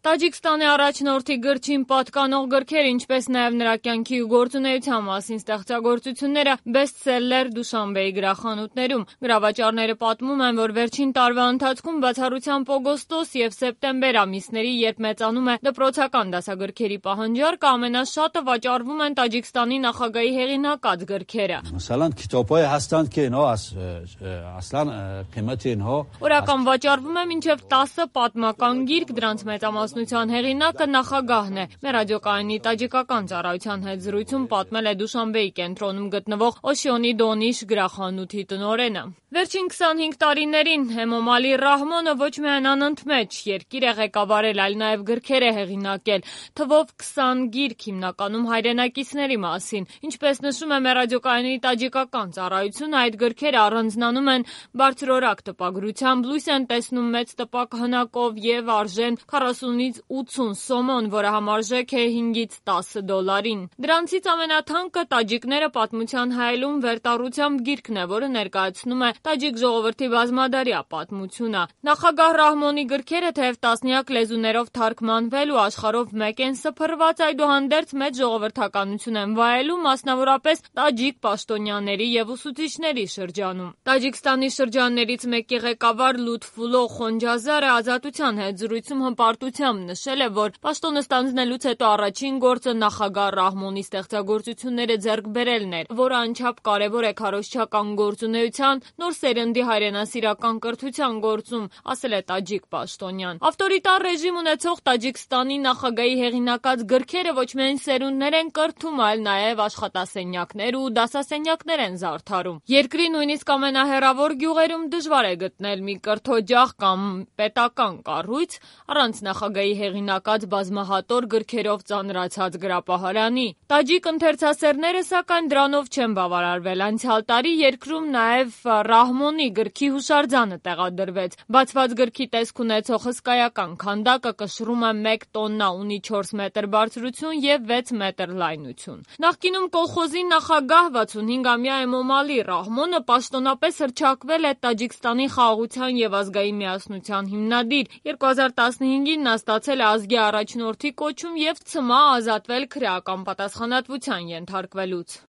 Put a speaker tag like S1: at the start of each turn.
S1: Տաջիկստանի առաջնորդի գրչին պատկանող գրքեր, ինչպես նաև նրա կյանքի ու գործունեության մասին ստեղծագործությունները բեսթսելլեր Դուշանբեի գրախանութներում։ Գրավաճառները պատմում են, որ վերջին տարվա ընթացքում բացառությամբ օգոստոս եւ սեպտեմբեր ամիսների, երբ մեծանում է դպրոցական դասագրքերի պահանջարկը, ամենաշատը վաճառվում են Տաջիկստանի նախագահի հեղինակած գրքերը։ Օրական վաճառվում է մինչև 10 պատմական գիրք, դրանց մեծամասնության հեղինակը նախագահն է։ Մեր ռադիոկայանի տաջիկական ծառայության հետ զրույցում պատմել է Դուշանբեի կենտրոնում գտնվող Օշիոնի Դոնիշ գրախանութի տնօրենը։ Վերջին 25 տարիներին Էմոմալի Ռահմոնը ոչ միայն անընդմեջ երկիր է ղեկավարել, այլ նաև գրքեր է հեղինակել, թվով 20 գիրք, հիմնականում հայրենակիցների մասին։ Ինչպես նշում է մեր ռադիոկայանի տաջիկական ծառայությունը, այդ գրքերը առանձնանում են բարձրորակ տպագրությամբ, լույս են տեսնում մեծ տպակ հնակով եւ արժեն 40-ից 80 սոմոն, որը համարժեք է 5-ից 10 դոլարին։ Դրանցից ամենաթանկը Տաջիկները պատմության հայելուն վերտառությամբ գիրքն է, որը ներկայացնում է տաջիկ ժողովրդի բազմադարյա պատմությունը։ Նախագահ Ռահմոնի գրքերը թեև տասնյակ լեզուներով թարգմանվել ու աշխարհով մեկ են սփռված, այդուհանդերձ մեծ ժողովրդականություն են վայելում, մասնավորապես տաջիկ պաշտոնյաների եւ ուսուցիչների շրջանում։ Տաջիկստանի շրջաններից մեկի ղեկավար Լութֆուլո Խոնջազարը Ազատության հետ զրույցում հպարտությամբ նշել է, որ պաշտոնը ստանձնելուց հետո առաջին գործը նախագահ Ռահմոնի ստեղծագործությունները ձեռք բերելն էր, որը անչափ կարևոր է քարոզչական գործունեության, նոր սերնդի հայրենասիրական կրթության գործում, ասել է տաջիկ պաշտոնյան։ Ավտորիտար ռեժիմ ունեցող Տաջիկստանի նախագահի հեղինակած գրքերը ոչ միայն սերունդներ են կրթում, այլ նաև աշխատասենյակներ ու դասասենյակներ են զարդարում։ Երկրի նույնիսկ ամենահեռավոր գյուղերում դժվար է գտնել մի կրթօջախ կամ պետական կառույց առանց նախագահի հեղինակած բազմահատոր գրքերով ծանրացած գրապահարանի։ Տաջիկ ընթերցասերները սակայն դրանով չեն բավարարվել։ Անցյալ տարի երկրում նաև Ռահմոնի գրքի հուշարձանը տեղադրվեց։ Բացված գրքի տեսք ունեցող հսկայական քանդակը կշռում է 1 տոննա, ունի 4 մետր բարձրություն եւ 6 մետր լայնություն։ Նախկինում կոլխոզի նախագահ 65-ամյա Էմոմալի Ռահմոնը պաշտոնապես հռչակվել է Տաջիկստանի խաղաղության եւ ազգային միասնության հիմնադիր։ 2015-ին նա ստացել է ազգի առաջնորդի կոչում եւ ցմահ ազատվել քրեական պատասխանատվության ենթարկվելուց։